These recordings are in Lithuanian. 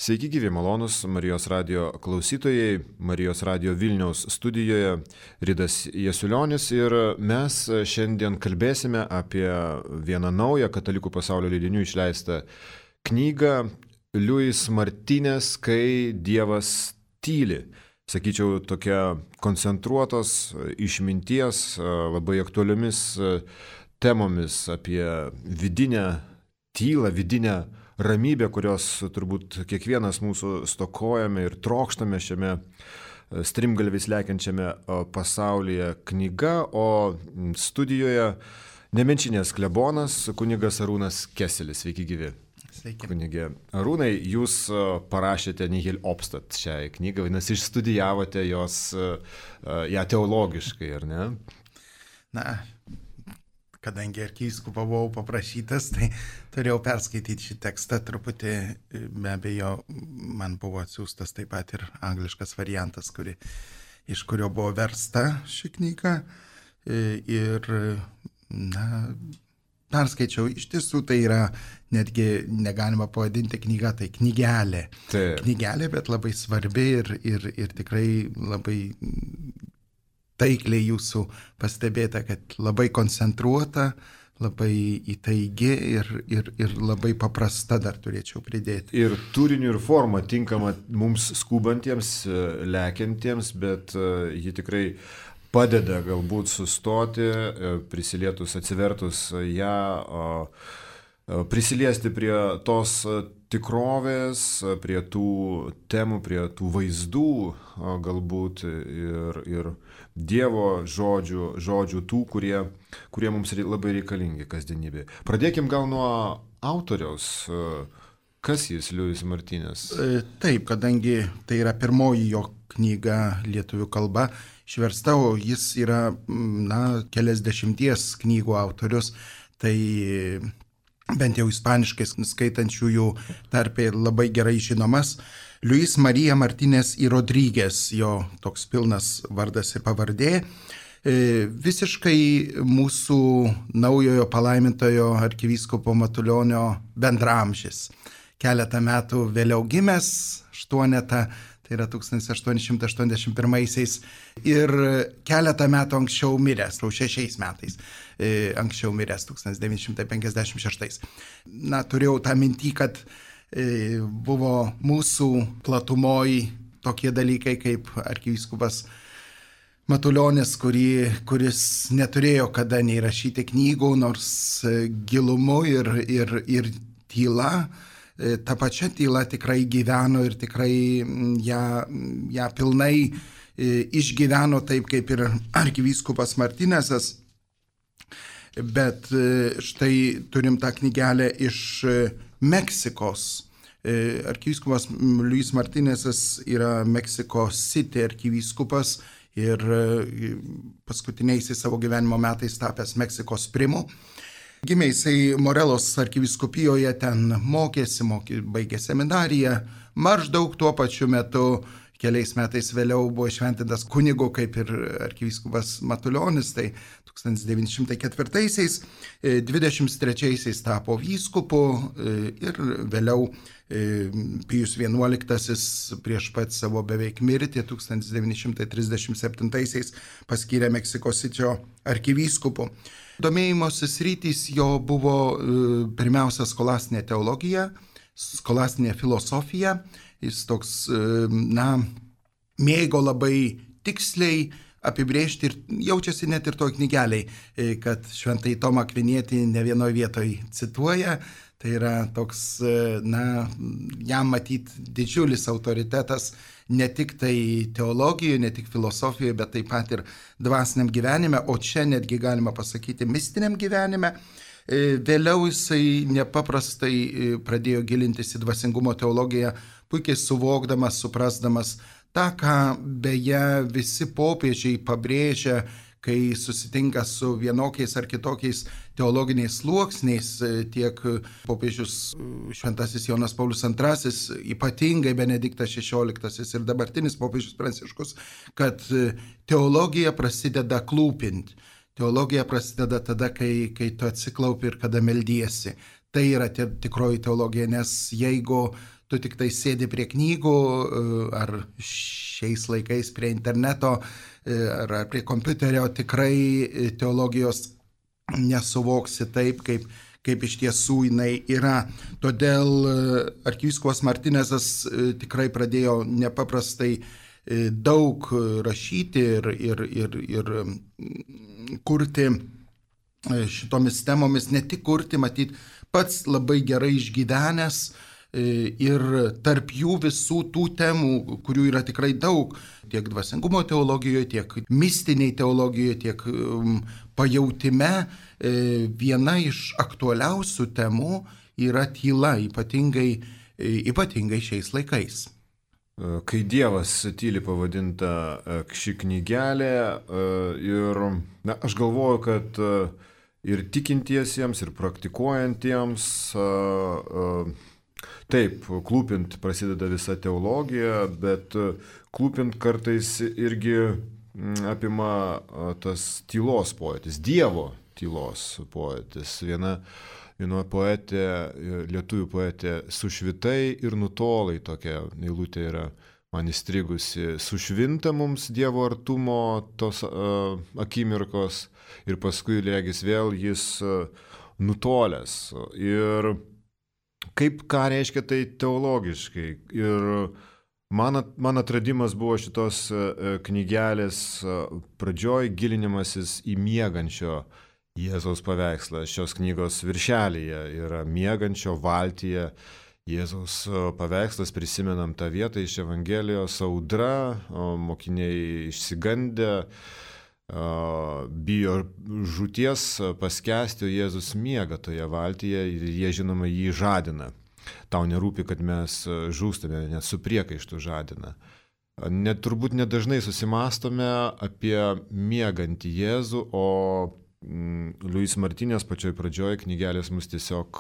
Sveiki gyvi malonus Marijos radio klausytojai, Marijos radio Vilniaus studijoje Ridas Jasiulionis ir mes šiandien kalbėsime apie vieną naują katalikų pasaulio leidinių išleistą knygą Luis Martinez, Kai Dievas tyli. Sakyčiau, tokia koncentruotos išminties, labai aktualiomis temomis apie vidinę tylą, vidinę ramybę, kurios turbūt kiekvienas mūsų stokojame ir trokštame šiame strimgalviais lekiančiame pasaulyje knyga, o studijoje Nemenčinės klebonas kunigas Arūnas Keselis. Sveiki gyvi. Sveiki. Kunigė Arūnai, jūs parašėte Nihil Obstat šią knygą, vadinasi, išstudijavote ją teologiškai, ar ne? Na, kadangi arkivyskupo buvau paprašytas, tai turėjau perskaityti šį tekstą truputį, be abejo, man buvo atsiųstas taip pat ir angliškas variantas, iš kurio buvo versta ši knyga. Ir, perskaičiau, iš tiesų tai yra, netgi negalima pavadinti knygą, tai knygelė. Taip. Knygelė, bet labai svarbi ir tikrai labai taikliai jūsų pastebėta, kad labai koncentruota, labai įtaigi ir labai paprasta, dar turėčiau pridėti. Ir turiniu ir forma tinkama mums skubantiems, lekiantiems, bet ji tikrai padeda galbūt sustoti, prisilietus, atsivertus ją, prisiliesti prie tos tikrovės, prie tų temų, prie tų vaizdų galbūt ir Dievo žodžių tų, kurie mums labai reikalingi kasdienybėje. Pradėkim gal nuo autoriaus. Kas jis, Luis Martinez? Taip, kadangi tai yra pirmoji jo knyga lietuvių kalba, išversta, o jis yra keliasdešimties knygų autorius, tai bent jau ispaniškai skaitančiųjų tarpe labai gerai žinomas. Luis Marija Martinez y Rodríguez, jo toks pilnas vardas ir pavardė, visiškai mūsų naujojo palaimintojo arkivyskupo Matulionio bendramžis. Keletą metų vėliau gimęs, 8, tai yra 1881 ir keletą metų anksčiau miręs, 6 metais anksčiau miręs, 1956. Turėjau tą mintį, kad buvo mūsų platumoj tokie dalykai kaip arkivyskupas Matulionis, kuris neturėjo kada nei rašyti knygų, nors gilumu ir tyla. Ta pačia tyla tikrai gyveno ir tikrai ją pilnai išgyveno taip kaip ir arkivyskupas Martinezas. Bet štai turim tą knygelę iš Meksikos. Arkivyskupas Luis Martinezas yra Meksiko City arkivyskupas ir paskutiniaisiais savo gyvenimo metais tapęs Meksikos primu. Gimė jisai Morelos arkivyskupijoje, ten mokėsi, baigė seminariją, maždaug tuo pačiu metu, keliais metais vėliau buvo šventintas kunigu kaip ir arkivyskupas Matulionis, tai 1904-aisiais, 23-aisiais tapo vyskupu ir vėliau Pijus XI prieš pat savo beveik mirtį 1937-aisiais paskyrė Meksikos Sičio arkivyskupu. Domėjimosi sritys jo buvo pirmiausia skolastinė teologija, skolastinė filosofija. Jis toks, mėgo labai tiksliai apibrėžti ir jaučiasi net ir toj knygeliai, kad šventąjį Tomą Akvinietį ne vienoje vietoje cituoja. Tai yra toks, jam matyt didžiulis autoritetas ne tik tai teologijoje, ne tik filosofijoje, bet taip pat ir dvasiniam gyvenime, o čia netgi galima pasakyti mistiniam gyvenime. Vėliau jisai nepaprastai pradėjo gilintis į dvasingumo teologiją, puikiai suvokdamas, suprasdamas tą, ką beje visi popiežiai pabrėžia, kai susitinka su vienokiais ar kitokiais teologiniais sluoksniais, tiek popiežius šventasis Jonas Paulius II, ypatingai Benediktas XVI ir dabartinis popiežius Pranciškus, kad teologija prasideda klūpint. Teologija prasideda tada, kai tu atsiklaupi ir kada meldiesi. Tai yra tikroji teologija, nes jeigu tu tik tai sėdi prie knygų ar šiais laikais prie interneto ar prie kompiuterio, tikrai teologijos nesuvoksi taip, kaip iš tiesų jinai yra. Todėl arkivyskupas Martinezas tikrai pradėjo nepaprastai daug rašyti ir kurti šitomis temomis, ne tik kurti, matyt, pats labai gerai išgyvenęs ir tarp jų visų tų temų, kurių yra tikrai daug, tiek dvasingumo teologijoje, tiek mistiniai teologijoje, tiek pajautime, viena iš aktualiausių temų yra tyla, ypatingai šiais laikais. Kai Dievas tyli pavadinta ši knygelė ir aš galvoju, kad ir tikintiesiems, ir praktikuojantiems, taip, klūpint prasideda visa teologija, bet klūpint kartais irgi apima tas tylos pojūtis, Dievo tylos pojūtis. Viena poetė, lietuvių poetė, sušvitai ir nutolai, tokia eilutė yra man įstrigusi. Sušvinta mums Dievo artumo tos akimirkos ir paskui regis vėl jis nutolęs. Ir ką reiškia tai teologiškai. Ir man atradimas buvo šitos knygelės pradžioj gilinimasis į miegančio Jėzaus paveikslą. Šios knygos viršelyje yra miegančio valtyje Jėzaus paveikslas, prisimenam tą vietą iš Evangelijos, audra, mokiniai išsigandę, bijo žūties paskęsti, o Jėzus miega toje valtyje ir jie, žinoma, jį žadina. Tau nerūpi, kad mes žūstame, net su priekaištu žadina. Turbūt nedažnai susimastome apie miegantį Jėzų, o Luis Martinės pačioj pradžioje knygelės mus tiesiog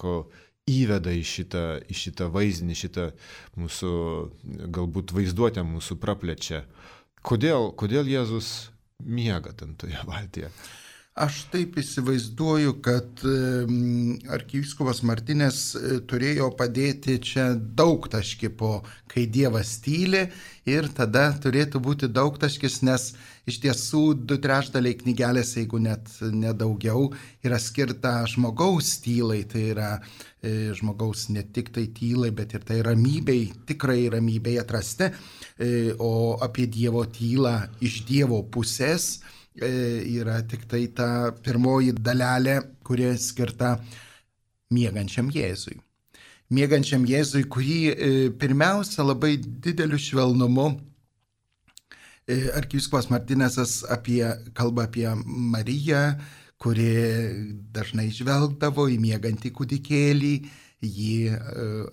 įveda į šitą vaizdinį, šitą mūsų galbūt vaizduotę mūsų praplečia. Kodėl Jėzus miega ten toje valtyje? Aš taip įsivaizduoju, kad arkivyskupas Martinės turėjo padėti čia daugtaškį po kai Dievas tyli ir tada turėtų būti daugtaškis, nes iš tiesų 2/3 knygelės, jeigu net nedaugiau, yra skirta žmogaus tylai, tai yra žmogaus ne tik tai tylai, bet ir tai ramybei, tikrai ramybei atrasti, o apie Dievo tylą iš Dievo pusės yra tik tai ta pirmoji dalelė, kuri skirta miegančiam Jėzui. Miegančiam Jėzui, kurį pirmiausia labai dideliu švelnumu arkivyskupas Martinėsas kalba apie Mariją, kuri dažnai žvelgdavo į miegantį kūdikėlį, jį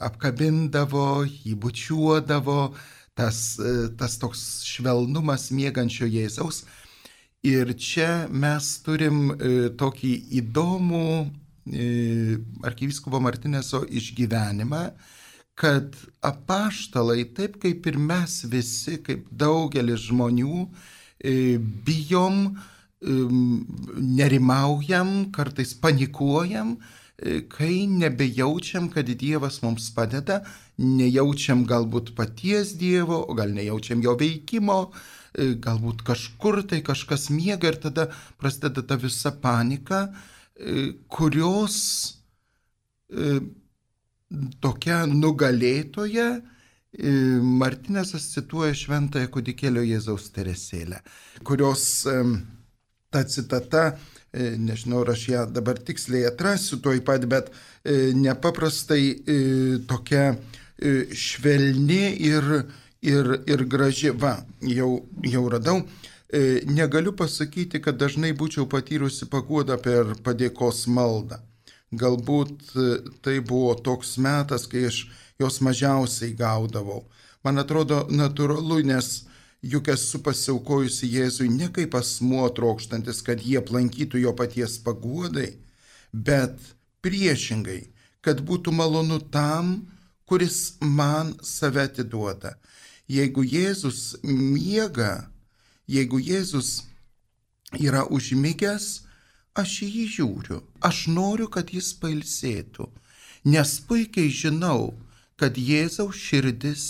apkabindavo, jį bučiuodavo, tas toks švelnumas miegančio Jėzaus. Ir čia mes turim tokį įdomų arkivyskupo Martinėso išgyvenimą, kad apaštalai, taip kaip ir mes visi, kaip daugelis žmonių, bijom, nerimaujam, kartais panikuojam, kai nebejaučiam, kad Dievas mums padeda, nejaučiam galbūt paties Dievo, o gal nejaučiam jo veikimo, galbūt kažkur tai kažkas miega ir tada prasideda ta visa panika, kurios tokia nugalėtoja Martinėsas cituoja šventąją kūdikėlio Jėzaus Teresėlę, kurios ta citata, nežinau, aš ją dabar tiksliai atrasiu tuoj pat, bet nepaprastai tokia švelni ir graži. Va, jau radau. Negaliu pasakyti, kad dažnai būčiau patyrusi paguodą per padėkos maldą. Galbūt tai buvo toks metas, kai aš jos mažiausiai gaudavau. Man atrodo natūralu, nes juk esu pasiaukojusi Jėzui ne kaip asmuo trokštantis, kad jie aplankytų jo paties paguodai, bet priešingai, kad būtų malonu tam, kuris man save atiduoda. Jeigu Jėzus miega, jeigu Jėzus yra užmigęs, aš į jį žiūriu. Aš noriu, kad jis pailsėtų, nes puikiai žinau, kad Jėzaus širdis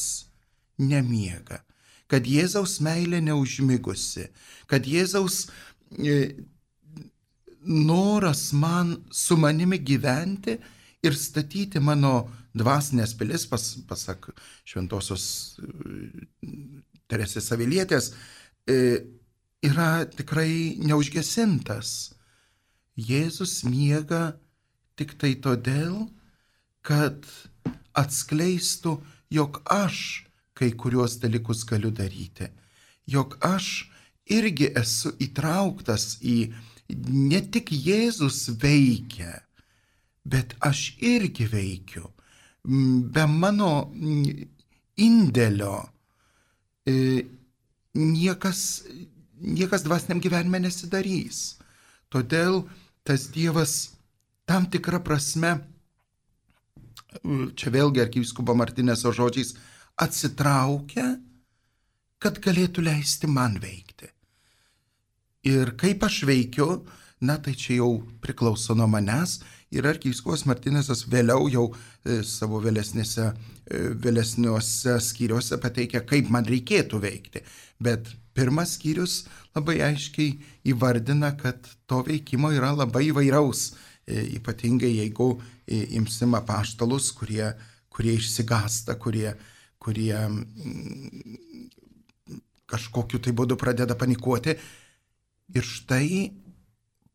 nemiega, kad Jėzaus meilė neužmigusi, kad Jėzaus noras su manimi gyventi ir statyti mano dvasinės pilis, pasak šventosios Teresės Avilietės, yra tikrai neužgesintas. Jėzus miega tik tai todėl, kad atskleistų, jog aš kai kuriuos dalykus galiu daryti, jog aš irgi esu įtrauktas į, ne tik Jėzus veikia, bet aš irgi veikiu. Be mano indėlio niekas dvasiniam gyvenime nesidarys. Todėl tas Dievas tam tikrą prasme, čia vėlgi arkivyskupo Martineso žodžiais, atsitraukia, kad galėtų leisti man veikti. Ir kaip aš veikiu, tai čia jau priklauso nuo manęs. Ir arkivyskupas Martinesas vėliau jau savo vėlesniuose skyriuose pateikia, kaip man reikėtų veikti. Bet pirmas skyrius labai aiškiai įvardina, kad to veikimo yra labai įvairaus. Ypatingai jeigu imsim apaštalus, kurie išsigąsta, kurie kažkokiu tai būdu pradeda panikuoti. Ir štai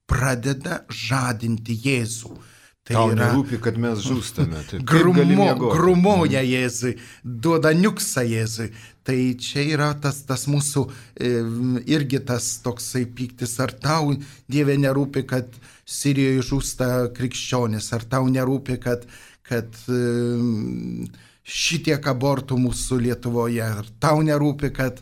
pradeda žadinti Jėzų. Tau nerūpi, kad mes žūstame. Grumoja Jėzui, duoda niuksą Jėzui. Tai čia yra tas mūsų irgi tas toksai pyktis. Ar tau, Dieve, nerūpi, kad Sirijoje žūsta krikščionis? Ar tau nerūpi, kad šitiek abortų mūsų Lietuvoje? Ar tau nerūpi, kad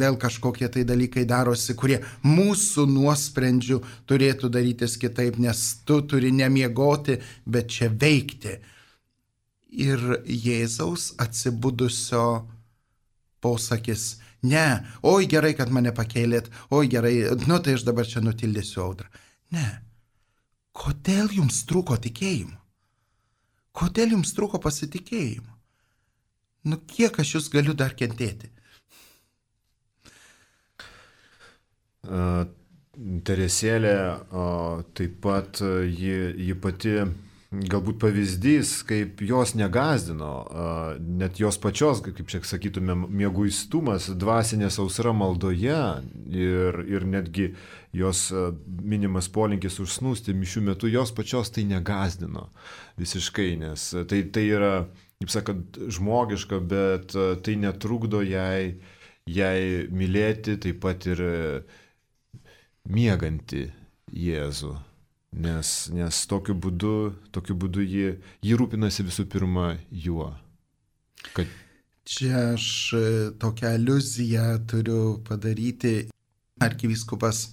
vėl kažkokie tai dalykai darosi, kurie mūsų nuosprendžių turėtų darytis kitaip, nes tu turi nemiegoti, bet čia veikti. Ir Jėzaus atsibudusio posakis: ne, oi gerai, kad mane pakėlėt, oi gerai, tai aš dabar čia nutildysiu audrą. Ne. Kodėl jums trūko tikėjimo? Kodėl jums trūko pasitikėjimo? Kiek aš jūs galiu dar kentėti? Teresėlė taip pat ji pati galbūt pavyzdys, kaip jos negazdino, net jos pačios, kaip čia sakytume, mieguistumas, dvasinė sausra maldoje ir netgi jos minimas polinkis užsnūsti mišių metu, jos pačios tai negazdino visiškai, nes tai yra, kaip sakant, žmogiška, bet tai netrukdo jai mylėti taip pat ir miegantį Jėzų, nes tokiu būdu ji rūpinasi visų pirma juo. Čia aš tokią aliuziją turiu padaryti. Arkivyskupas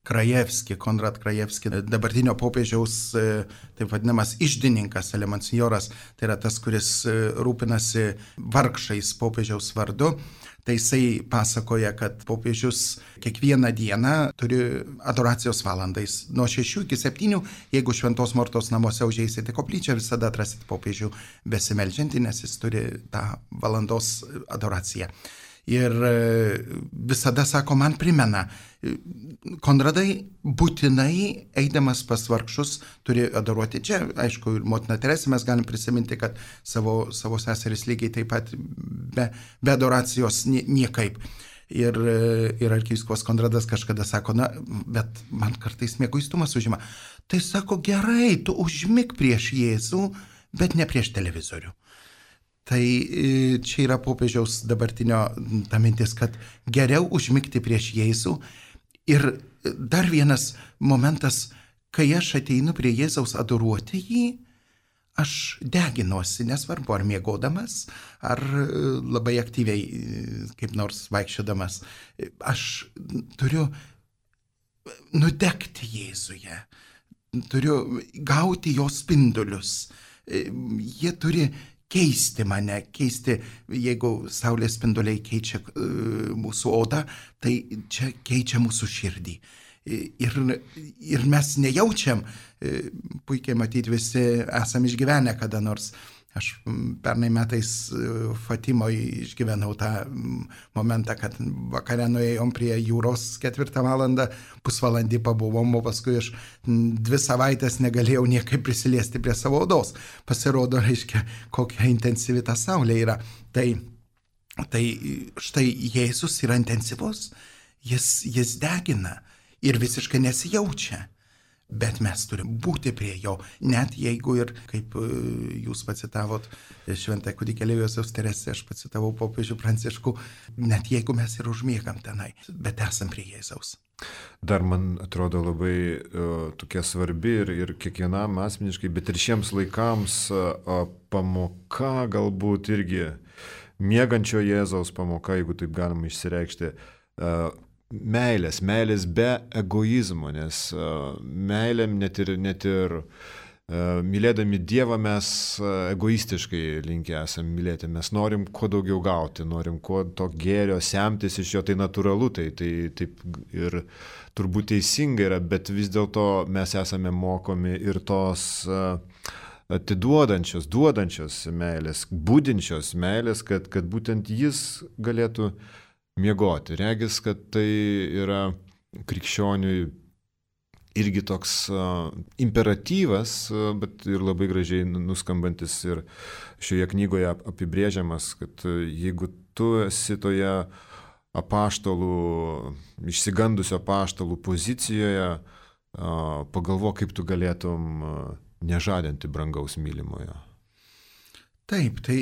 Krajevski, Konrad Krajevski, dabartinio popiežiaus taip vadinamas iždininkas, elemonsinjoras, tai yra tas, kuris rūpinasi vargšais popiežiaus vardu. Tai jisai pasakoja, kad popiežius kiekvieną dieną turi adoracijos valandais. Nuo 6 iki 7, jeigu Šventos Mortos namuose užeisite koplyčią, visada atrasit popiežių besimeldžiantį, nes jis turi tą valandos adoraciją. Ir visada sako, man primena, Konradai būtinai eidamas pas vargšus turi adoruoti. Čia, aišku, ir motina Teresė mes galim prisiminti, kad savo seseris lygiai taip pat be adoracijos niekaip. Ir arkivyskupas Konradas kažkada sako, bet man kartais mieguistumas užima. Tai sako, gerai, tu užmik prieš Jėzų, bet ne prieš televizorių. Tai čia yra popiežiaus dabartinio ta mintis, kad geriau užmigti prieš Jėzų. Ir dar vienas momentas, kai aš ateinu prie Jėzaus adoruoti jį, aš deginuosi, nesvarbu ar miegodamas, ar labai aktyviai kaip nors vaikščiodamas. Aš turiu nudegti Jėzuje, turiu gauti jo spindulius. Jie turi keisti mane, jeigu saulės spinduliai keičia mūsų odą, tai čia keičia mūsų širdį. Ir mes nejaučiam, puikiai matyti visi esam išgyvenę kada nors Aš pernai metais Fatimoje išgyvenau tą momentą, kad vakare nuėjom prie jūros 4 valandą, pusvalandį pabuvom, o paskui aš 2 savaitės negalėjau niekaip prisiliesti prie savo odos. Pasirodo, reiškia, kokia intensyvi ta saulė yra. Tai štai Jėzus yra intensyvus, jis degina ir visiškai nesijaučia. Bet mes turim būti prie jo, net jeigu ir, kaip jūs pacitavot šventąją kūdikėlį Jėzaus Teresę, aš pacitavau popiežių Pranciškų, net jeigu mes ir užmiegam tenai, bet esam prie Jėzaus. Dar man atrodo labai tokia svarbi ir kiekvienam asmeniškai, bet ir šiems laikams pamoka galbūt irgi miegančio Jėzaus pamoka, jeigu taip galima išsireikšti, meilės be egoizmo, nes meilėm net ir mylėdami Dievą mes egoistiškai linkę esam mylėti, mes norim kuo daugiau gauti, norim kuo to gėrio semtis iš jo, tai natūralu, tai taip ir turbūt teisinga yra, bet vis dėlto mes esame mokomi ir tos atiduodančios, duodančios meilės, budinčios meilės, kad būtent jis galėtų miegoti. Regis, kad tai yra krikščioniui irgi toks imperatyvas, bet ir labai gražiai nuskambantis ir šioje knygoje apibrėžiamas, kad jeigu tu esi toje išsigandusio apaštalų pozicijoje, pagalvok, kaip tu galėtum nežadinti brangaus mylimojo. Taip, tai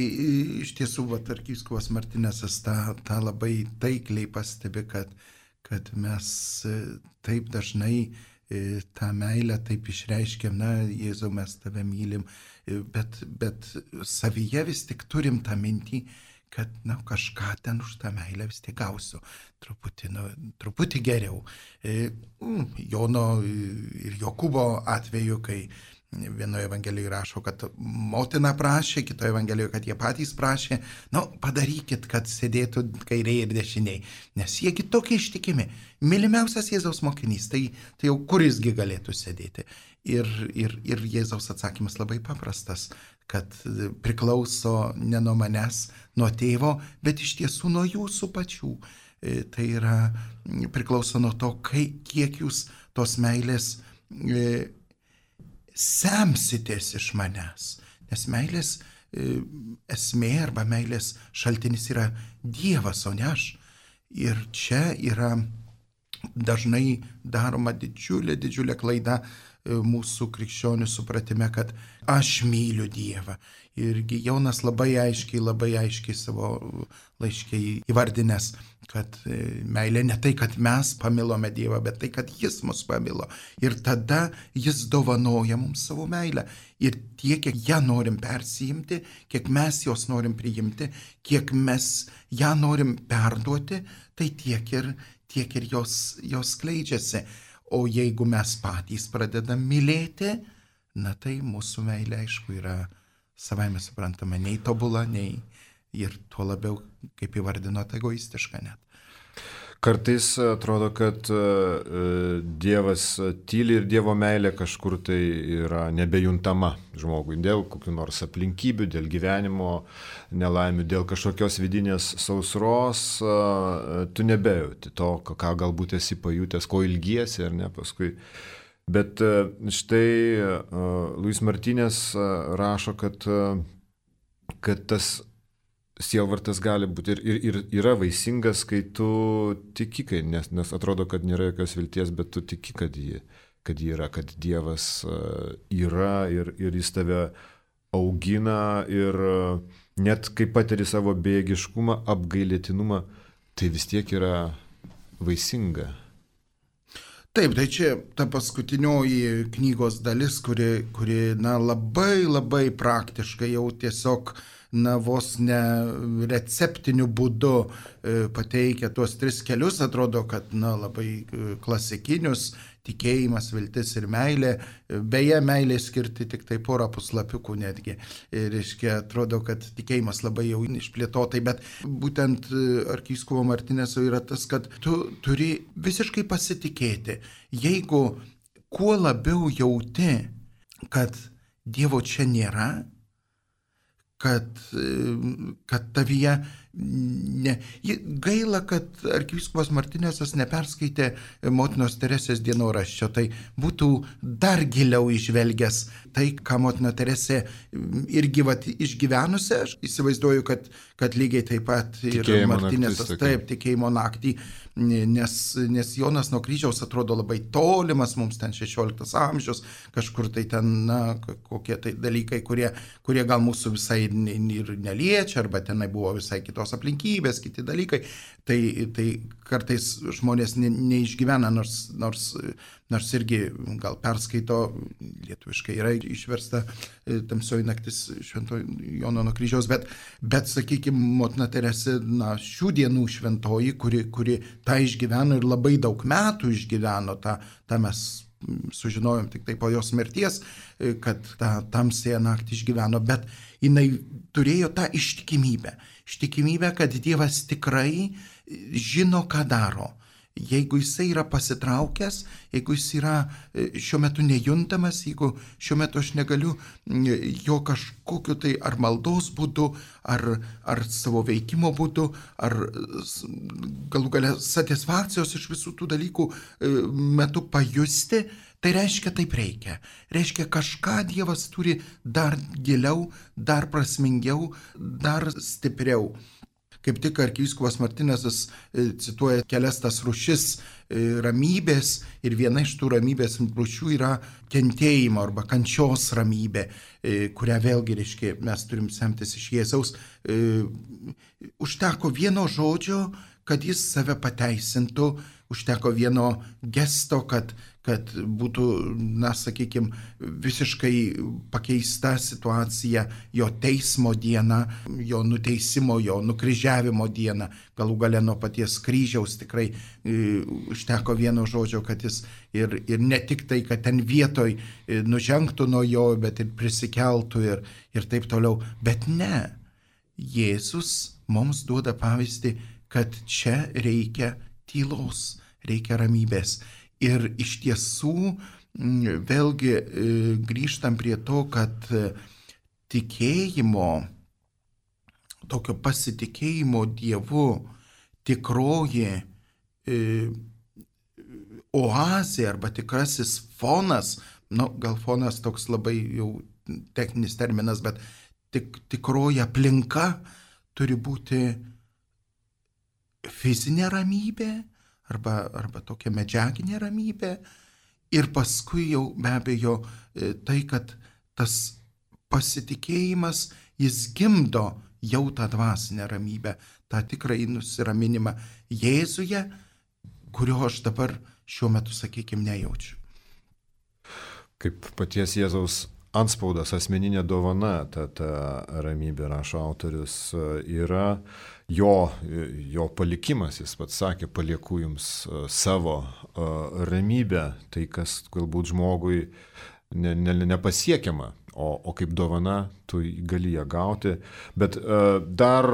iš tiesų arkivyskupas Martinesas tą labai taikliai pastebi, kad mes taip dažnai tą meilę taip išreiškiam, Jėzau, mes tave mylim, bet savyje vis tik turim tą mintį, kad kažką ten už tą meilę vis tik gausiu, truputį geriau. Jono ir Jokūbo atveju, kai vienoje Evangelijoje rašo, kad motina prašė, kitoje Evangelijoje, kad jie patys prašė, padarykit, kad sėdėtų kairiai ir dešiniai, nes jiegi tokie ištikimi. Mylimiausias Jėzaus mokinys, tai jau kurisgi galėtų sėdėti. Ir Jėzaus atsakymas labai paprastas, kad priklauso ne nuo manęs, nuo tėvo, bet iš tiesų nuo jūsų pačių. Tai yra priklauso nuo to, kiek jūs tos meilės semsitės iš manęs, nes meilės esmė arba meilės šaltinis yra Dievas, o ne aš. Ir čia yra dažnai daroma didžiulė klaida mūsų krikščionių supratime, kad aš myliu Dievą. Irgi Jonas labai aiškiai savo laiške įvardinęs, kad meilė ne tai, kad mes pamilome Dievą, bet tai, kad jis mus pamilo. Ir tada jis dovanoja mums savo meilę. Ir tiek, kiek ją norim persijimti, kiek mes jos norim priimti, kiek mes ją norim perduoti, tai tiek ir jos skleidžiasi. O jeigu mes patys pradedam mylėti, tai mūsų meilė, aišku, yra savaime suprantama, nei tobula, nei ir tuo labiau, kaip įvardinot, egoistiška net. Kartais atrodo, kad Dievas tyli ir Dievo meilė kažkur tai yra nebejuntama žmogui dėl kokių nors aplinkybių, dėl gyvenimo nelaimių, dėl kažkokios vidinės sausros, tu nebejauti to, ką galbūt esi pajutęs, ko ilgiesi ar ne paskui. Bet štai Luis Martínez rašo, kad tas sielvartas gali būti ir yra vaisingas, kai tu tiki, nes atrodo, kad nėra jokios vilties, bet tu tiki, kad ji yra, kad Dievas yra ir jis tave augina ir net kai patiri savo bejėgiškumą, apgailėtinumą, tai vis tiek yra vaisinga. Taip, tai čia ta paskutinioji knygos dalis, kuri labai praktiškai jau tiesiog vos ne receptiniu būdu pateikia tuos 3 kelius, atrodo, kad labai klasikinius: tikėjimas, viltis ir meilė. Beje, meilė skirti tik tai 4 puslapiukų netgi. Reiškia, atrodo, kad tikėjimas labai jau išplėtotai, bet būtent arkivyskupo Martineso yra tas, kad tu turi visiškai pasitikėti. Jeigu kuo labiau jauti, kad Dievo čia nėra, kad tavyje gaila, kad arkivyskupas Martinesas neperskaitė motinos Teresės dienoraščio, tai būtų dar giliau išvelgęs tai, ką motina Teresė irgi išgyvenusi. Aš įsivaizduoju, kad lygiai taip pat ir Martinesas, taip, tikėjimo naktį, nes Jonas nuo kryžiaus atrodo labai tolimas, mums ten 16 amžius, kažkur tai ten, kokie tai dalykai, kurie gal mūsų visai ir neliečia, arba tenai buvo visai kitos aplinkybės, kiti dalykai, tai kartais žmonės neišgyvena, nors irgi gal perskaito, lietuviškai yra išversta Tamsioji naktis Švento Jono nuo kryžiaus, bet sakykime, motina Teresė, šių dienų šventoji, kuri tą išgyveno ir labai daug metų išgyveno, tą mes sužinojom tik tai po jos mirties, kad tą tamsėją naktį išgyveno, bet jinai turėjo tą ištikimybę, kad Dievas tikrai žino, ką daro. Jeigu jisai yra pasitraukęs, jeigu jis yra šiuo metu nejuntamas, jeigu šiuo metu aš negaliu jo kažkokiu tai ar maldos būdu, ar savo veikimo būdu, ar galų gale satisfakcijos iš visų tų dalykų metu pajusti, tai reiškia taip reikia. Reiškia, kažką Dievas turi dar giliau, dar prasmingiau, dar stipriau. Kaip tik arkivyskupas Martinesas cituoja kelias tas rūšis ramybės ir viena iš tų ramybės rūšių yra kentėjimo arba kančios ramybė, kurią vėlgi, reiškia, mes turim semtis iš Jėzaus. Užteko vieno žodžio, kad jis save pateisintų, užteko vieno gesto, kad būtų, sakykime, visiškai pakeista situacija jo teismo diena, jo nuteisimo, jo nukryžiavimo diena, galų gale nuo paties kryžiaus tikrai užteko vieno žodžio, kad jis ir ne tik tai, kad ten vietoj nužengtų nuo jo, bet ir prisikeltų ir taip toliau. Bet ne, Jėzus mums duoda pavyzdį, kad čia reikia tylos, reikia ramybės. Ir iš tiesų, vėlgi grįžtam prie to, kad tikėjimo, tokio pasitikėjimo Dievu tikroji oazė arba tikrasis fonas, gal fonas toks labai jau techninis terminas, bet tikroji aplinka turi būti fizinė ramybė, arba tokia medžiaginė ramybė, ir paskui jau be abejo tai, kad tas pasitikėjimas, jis gimdo jau tą dvasinę ramybę, tą tikrąjį nusiraminimą Jėzuje, kurio aš dabar šiuo metu, sakykime, nejaučiu. Kaip paties Jėzaus antspaudas, asmeninė dovana, ta ramybė, rašo autorius, yra jo palikimas. Jis pats sakė, palieku jums savo ramybę, tai kas galbūt žmogui nepasiekiama, o kaip dovana tu gali ją gauti. Bet dar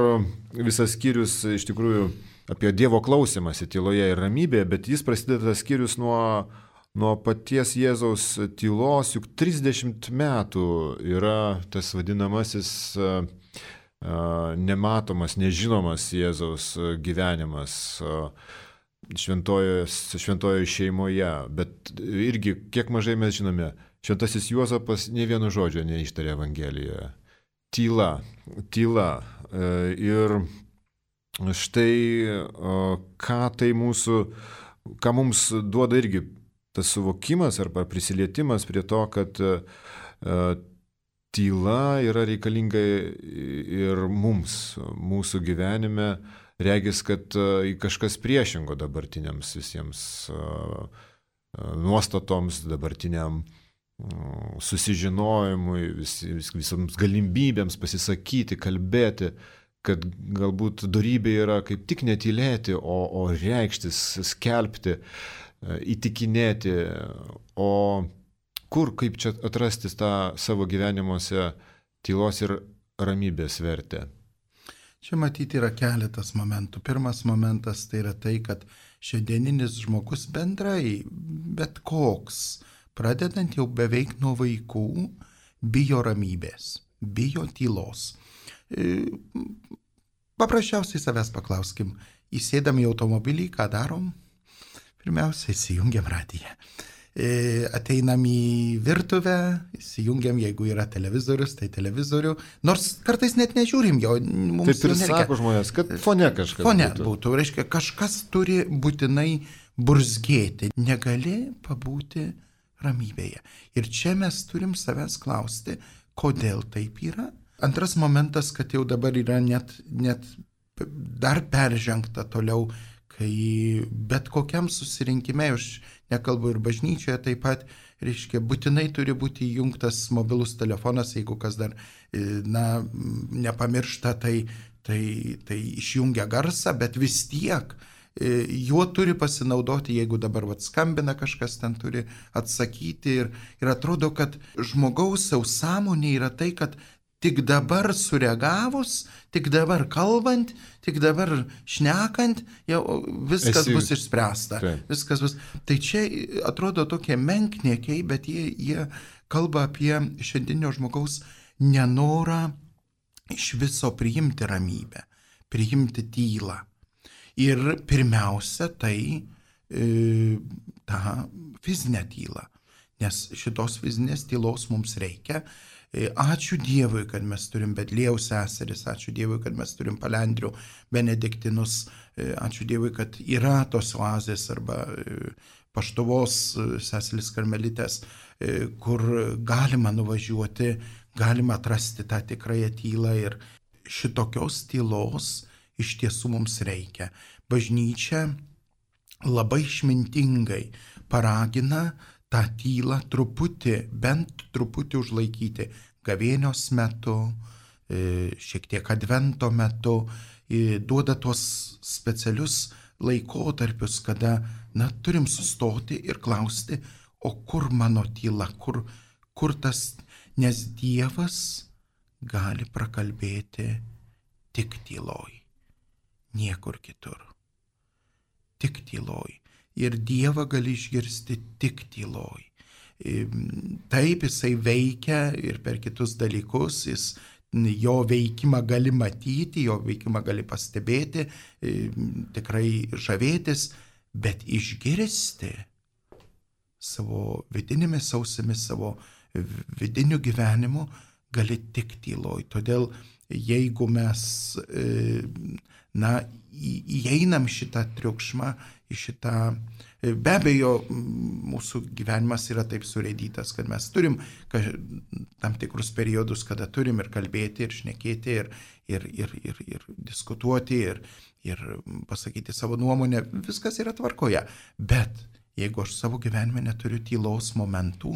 visas skyrius iš tikrųjų apie Dievo klausimąsi tyloje ir ramybėje, bet jis prasideda tas skyrius nuo paties Jėzaus tylos, juk 30 metų yra tas vadinamasis nematomas, nežinomas Jėzaus gyvenimas šventojoje šeimoje, bet irgi, kiek mažai mes žinome, šventasis Juozapas nė vieno žodžio neištarė Evangelijoje. Tyla. Ir štai, ką mums duoda irgi tas suvokimas arba prisilietimas prie to, kad tyla yra reikalinga ir mums, mūsų gyvenime, regis, kad kažkas priešingo dabartiniams visiems nuostatoms, dabartiniam susižinojimui, visoms galimybėms pasisakyti, kalbėti, kad galbūt dorybė yra kaip tik netylėti, o reikštis, skelbti, įtikinėti, o kaip čia atrasti tą savo gyvenimuose tylos ir ramybės vertę? Čia matyti yra keletas momentų. Pirmas momentas tai yra tai, kad šiandieninis žmogus bendrai, bet koks, pradedant jau beveik nuo vaikų, bijo ramybės, bijo tylos. paprasčiausiai savęs paklauskim, įsėdam į automobilį, ką darom? Pirmiausia, įsijungiam radiją. Ateinam į virtuvę, įsijungiam, jeigu yra televizorius, tai televizorių, nors kartais net nežiūrim jo. Taip ir sako žmonės, kad fone kažkas būtų. Reiškia, kažkas turi būtinai burzgėti, negali pabūti ramybėje. Ir čia mes turim savęs klausti, kodėl taip yra. Antras momentas, kad jau dabar yra net dar peržengta toliau, kai bet kokiam susirinkime, aš nekalbu ir bažnyčioje taip pat, reiškia, būtinai turi būti įjungtas mobilus telefonas, jeigu kas dar, nepamiršta, tai išjungia garsą, bet vis tiek juo turi pasinaudoti, jeigu dabar skambina kažkas, ten turi atsakyti ir atrodo, kad žmogaus sąmonė yra tai, kad tik dabar sureagavus, tik dabar kalbant, tik dabar šnekant, jau viskas bus išspręsta. Viskas bus. Tai čia atrodo tokie menkniekiai, bet jie kalba apie šiandienio žmogaus nenorą iš viso priimti ramybę, priimti tylą. Ir pirmiausia, tai tą fizinę tylą, nes šitos fizinės tylos mums reikia. Ačiū Dievui, kad mes turim Betliejaus seseris, ačiū Dievui, kad mes turim Palendrių benediktinus, ačiū Dievui, kad yra tos oazės arba Paštuvos seseris karmelitės, kur galima nuvažiuoti, galima atrasti tą tikrąją tylą ir šitokios tylos iš tiesų mums reikia. Bažnyčia labai išmintingai paragina tą tylą bent truputį užlaikyti gavėnios metu, šiek tiek advento metu, duoda tuos specialius laikotarpius, kada turim sustoti ir klausti, o kur mano tyla, kur tas, nes Dievas gali prakalbėti tik tyloj, niekur kitur, tik tyloj. Ir Dievą gali išgirsti tik tyloj. Taip jisai veikia ir per kitus dalykus, jo veikimą gali matyti, jo veikimą gali pastebėti, tikrai žavėtis, bet išgirsti savo vidinėmis ausimis, savo vidiniu gyvenimu gali tik tyloj. Todėl jeigu mes įeinam šitą triukšmą, į šitą, be abejo, mūsų gyvenimas yra taip surėdytas, kad mes turim tam tikrus periodus, kada turim ir kalbėti, ir šnekėti, ir diskutuoti, ir pasakyti savo nuomonę, viskas yra tvarkoje. Bet jeigu aš savo gyvenime neturiu tylos momentų,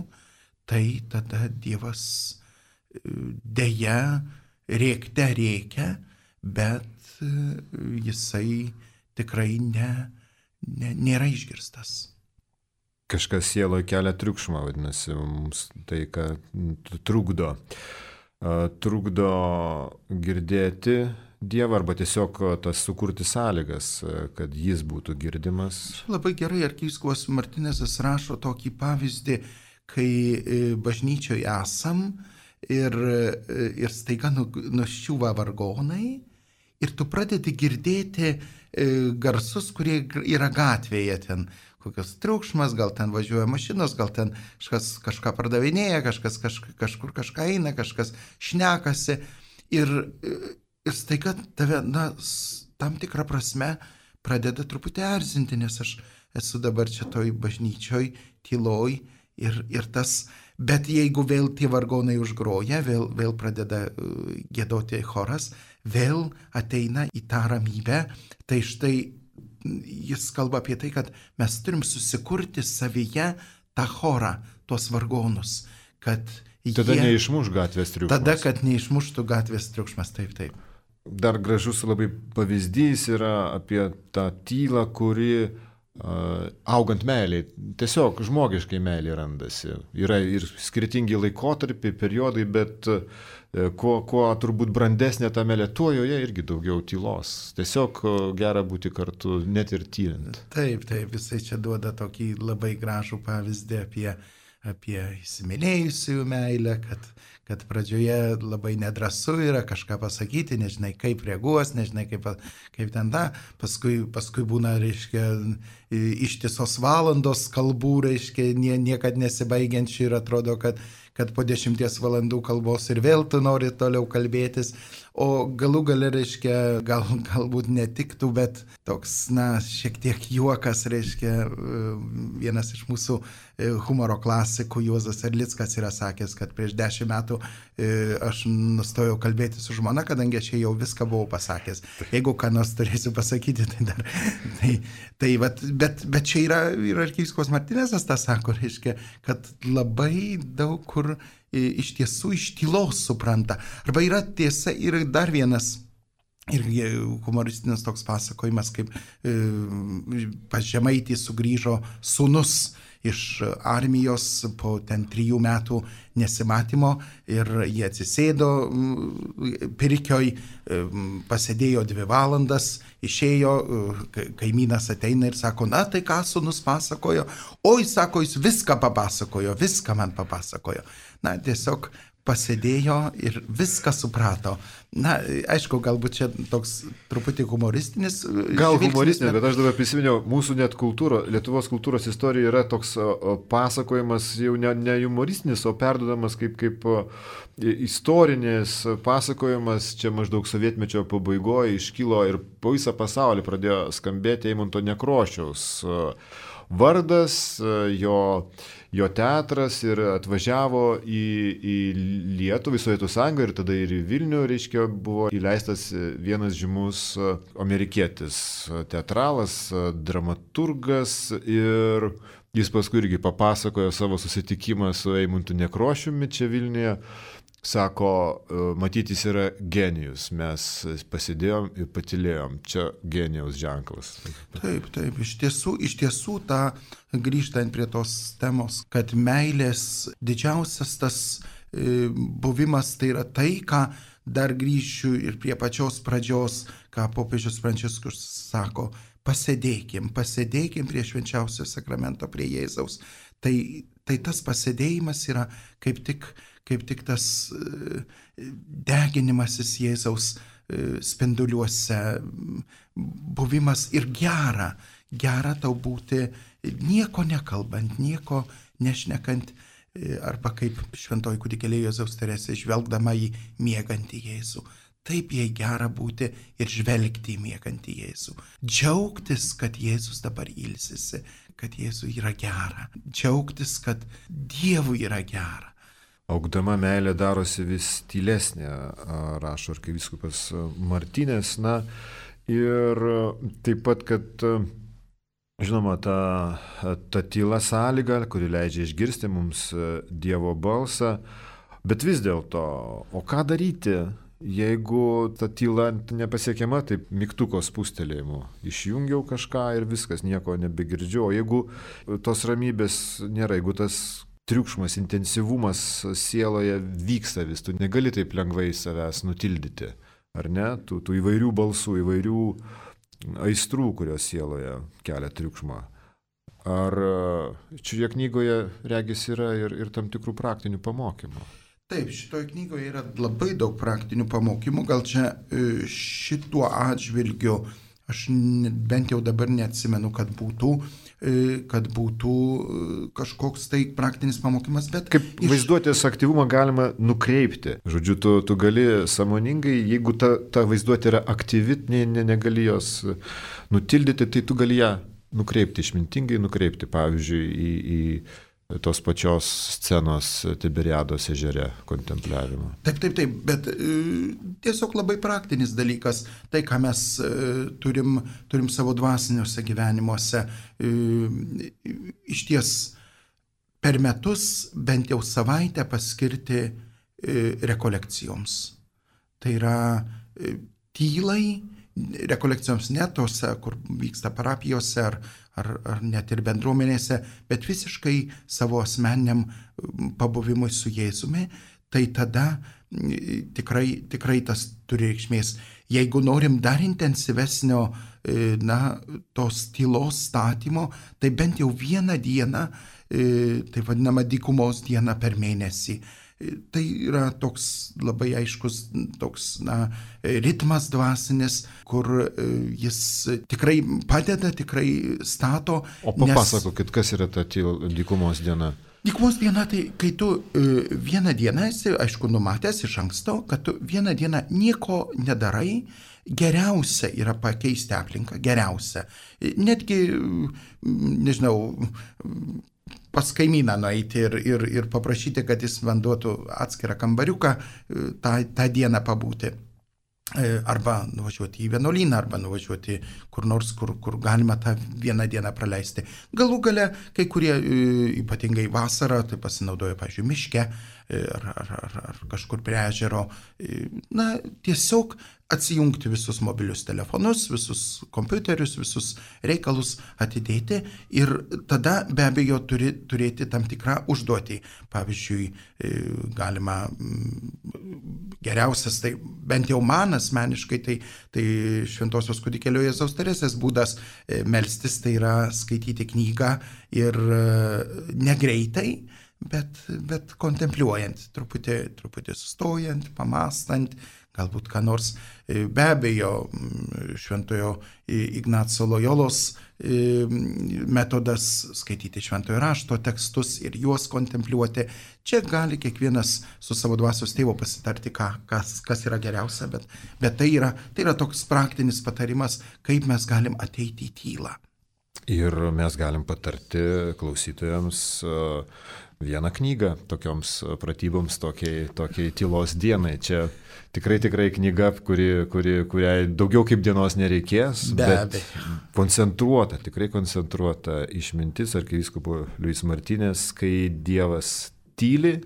tai tada Dievas deja rėkte rėkia, bet jisai tikrai nėra išgirstas. Kažkas sieloje kelia triukšmą, vadinasi, mums tai, ką trukdo girdėti Dievą arba tiesiog tas sukurti sąlygas, kad jis būtų girdimas. Labai gerai arkivyskupas Martinezas rašo tokį pavyzdį, kai bažnyčioje esam ir staiga nuščiūva vargonai ir tu pradedi girdėti garsus, kurie yra gatvėje, ten kokios triukšmas, gal ten važiuoja mašinos, gal ten kažką pardavinėja, kažkur kažką eina, kažkas šnekasi ir staiga tave, tam tikrą prasme pradeda truputį erzinti, nes aš esu dabar čia toj bažnyčioj, tyloj ir tas, bet jeigu vėl tie vargonai užgroja, vėl pradeda giedoti choras, vėl ateina į tą ramybę, tai štai jis kalba apie tai, kad mes turim susikurti savyje tą chorą, tuos vargonus, kad tada neišmuš gatvės triukšmas. Tada, kad neišmuštų gatvės triukšmas, taip. Dar gražus labai pavyzdys yra apie tą tylą, kuri augant meiliai, tiesiog žmogiškai meiliai randasi. Yra ir skirtingi laikotarpiai, periodai, bet kuo turbūt brandesnė ta meilė, tuo joje irgi daugiau tylos. Tiesiog gera būti kartu, net ir tylint. Taip, jisai čia duoda tokį labai gražų pavyzdį apie įsimylėjusiųjų meilę, kad pradžioje labai nedrąsu yra kažką pasakyti, nežinai kaip reaguos, nežinai kaip ten da, paskui būna, reiškia, ištisos valandos kalbų, reiškia, niekad nesibaigiančių ir atrodo, kad po 10 valandų kalbos ir vėl tu nori toliau kalbėtis, o galų gale, reiškia, galbūt netiktų, bet toks, šiek tiek juokas, reiškia, vienas iš mūsų humoro klasikų Juozas Erlickas yra sakęs, kad prieš 10 metų aš nustojau kalbėti su žmona, kadangi aš jau viską buvau pasakęs. Jeigu ką nors turėsiu pasakyti, tai dar... Bet čia yra arkivyskupas Martinezas tą sako, reiškia, kad labai daug kur iš tiesų iš tylos supranta. Arba yra tiesa ir dar vienas irgi humoristinis toks pasakojimas, kaip pas Žemaitį sugrįžo sūnus iš armijos po 3 metų nesimatymo ir jie atsisėdo pirkioj, pasėdėjo 2 valandas, išėjo, kaimynas ateina ir sako, tai ką sūnus pasakojo? Oi, sako, jis viską papasakojo, viską man papasakojo. Tiesiog pasėdėjo ir viską suprato. Aišku, galbūt čia toks truputį humoristinis. Gal humoristinis, bet aš dabar prisiminiau, mūsų net Lietuvos kultūros istorija yra toks pasakojimas jau ne humoristinis, o perduodamas kaip istorinis pasakojimas. Čia maždaug sovietmečio pabaigoje iškilo ir po visą pasaulį pradėjo skambėti Eimunto Nekrošiaus vardas, jo teatras ir atvažiavo į Lietuvą, į Sovietų Sąjungą ir tada ir į Vilnių, reiškia, buvo įleistas vienas žymus amerikietis teatralas, dramaturgas ir jis paskui irgi papasakojo savo susitikimą su Eimuntu Nekrošiumi čia Vilniuje. Sako, matyti jis yra genijus, mes pasidėjom ir patylėjom, čia genijaus ženklas. Taip, iš tiesų tą grįžtant prie tos temos, kad meilės didžiausias tas buvimas tai yra tai, ką dar grįšiu ir prie pačios pradžios, ką popiežius Pranciškus sako, pasėdėkim prie švenčiausio sakramento, prie Jėzaus. Tai tas pasėdėjimas yra kaip tik tas deginimasis Jėzaus spinduliuose, buvimas ir gera tau būti nieko nekalbant, nieko nešnekant, arba kaip šventoji kūdikėlė Jėzaus Teresė žvelgdama į miegantį Jėzų. Taip jai gera būti ir žvelgti į miegantį Jėzų. Džiaugtis, kad Jėzus dabar ilsisi, kad Jėzui yra gera. Džiaugtis, kad Dievui yra gera. Augdama meilė darosi vis tylesnė, rašo arkivyskupas Martinės. Ir taip pat, kad, žinoma, ta tyla sąlyga, kuri leidžia išgirsti mums Dievo balsą, bet vis dėlto, o ką daryti, jeigu ta tyla nepasiekiama, taip mygtuko spustelėjimu. Išjungiau kažką ir viskas, nieko nebegirdžiu. O jeigu tos ramybės nėra, jeigu tas triukšmas, intensyvumas sieloje vyksta vis, tu negali taip lengvai savęs nutildyti, ar ne? Tų įvairių balsų, įvairių aistrų, kurios sieloje kelia triukšmą. Ar šioje knygoje regis yra ir tam tikrų praktinių pamokymų? Taip, šitoje knygoje yra labai daug praktinių pamokymų, gal čia šituo atžvilgiu, aš bent jau dabar neatsimenu, kad būtų kažkoks tai praktinis pamokymas, bet... Kaip vaizduotės aktyvumą galima nukreipti. Žodžiu, tu gali sąmoningai, jeigu ta vaizduotė yra aktyvi, negali jos nutildyti, tai tu gali ją nukreipti, išmintingai nukreipti, pavyzdžiui, į tos pačios scenos Tiberiados ežere kontempliavimo. Taip, bet tiesiog labai praktinis dalykas, tai ką mes turim savo dvasiniuose gyvenimuose, iš ties per metus bent jau savaitę paskirti rekolekcijoms. Tai yra tylai, rekolekcijoms ne tose, kur vyksta parapijose ar net ir bendruomenėse, bet visiškai savo asmeniniam pabuvimui su Jėzumi, tai tada tikrai tas turi reikšmės. jeigu norim dar intensyvesnio, tos tylos statymo, tai bent jau vieną dieną, tai vadinama dykumos diena per mėnesį. Tai yra toks labai aiškus toks, ritmas dvasinis, kur jis tikrai padeda, tikrai stato. O papasakokit, kas yra ta dykumos diena? Dykumos diena, tai kai tu vieną dieną esi, aišku, numatęs iš anksto, kad tu vieną dieną nieko nedarai, geriausia yra pakeisti aplinką, geriausia. Netgi, nežinau, pas kaimyną nueiti ir paprašyti, kad jis man duotų atskirą kambariuką tą dieną pabūti. Arba nuvažiuoti į vienuolyną, arba nuvažiuoti kur nors, kur galima tą vieną dieną praleisti. Galų gale, kai kurie, ypatingai vasarą, tai pasinaudoja, pavyzdžiui, miške ar kažkur prie ežero. Tiesiog atsijungti visus mobilius telefonus, visus kompiuterius, visus reikalus atidėti ir tada be abejo turi turėti tam tikrą užduotį. Pavyzdžiui, galima geriausias, tai bent jau man asmeniškai, tai Šventosios kūdikėlio Jėzaus Teresės būdas melstis, tai yra skaityti knygą ir negreitai, bet kontempliuojant, truputį sustojant, pamąstant, galbūt ką nors. Be abejo, Šventojo Ignaco Lojolos metodas skaityti Šventojo rašto tekstus ir juos kontempliuoti. Čia gali kiekvienas su savo dvasios tėvu pasitarti, kas yra geriausia, bet tai yra toks praktinis patarimas, kaip mes galim ateiti į tylą. Ir mes galim patarti klausytojams vieną knygą tokioms pratyboms, tokiai tylos dienai. Čia tikrai knyga, kuriai daugiau kaip dienos nereikės, bet koncentruota, tikrai koncentruota išmintis arkivyskupo Luis Martinės, kai Dievas tyli,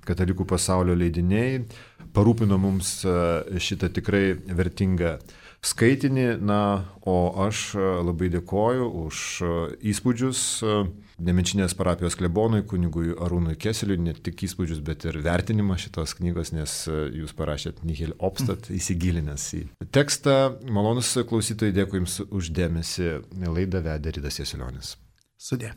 Katalikų pasaulio leidiniai parūpino mums šitą tikrai vertingą skaitinį, o aš labai dėkoju už įspūdžius Nemenčinės parapijos klebonui, kunigui Arūnui Keseliui, ne tik įspūdžius, bet ir vertinimą šitos knygos, nes jūs parašėt nihil obstat, įsigilinęs į tekstą. Malonus klausytojai, dėkui Jums už dėmesį. Laidą vedė Ridas Jasiulionis. Sudie.